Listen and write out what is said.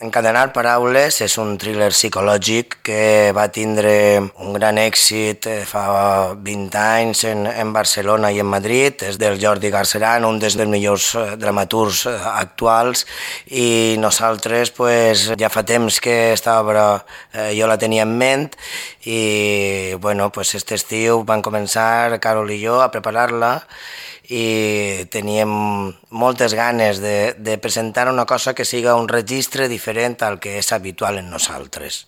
Encadenar paraules és un thriller psicològic que va tindre un gran èxit fa 20 anys en Barcelona i en Madrid. És del Jordi Garceran, un dels millors dramaturgs actuals, i nosaltres pues, ja fa temps que estava, jo la tenia en ment i bueno, pues, este estiu van començar Carol i jo a preparar-la i teníem moltes ganes de presentar una cosa que siga un registre diferent al que és habitual en nosaltres.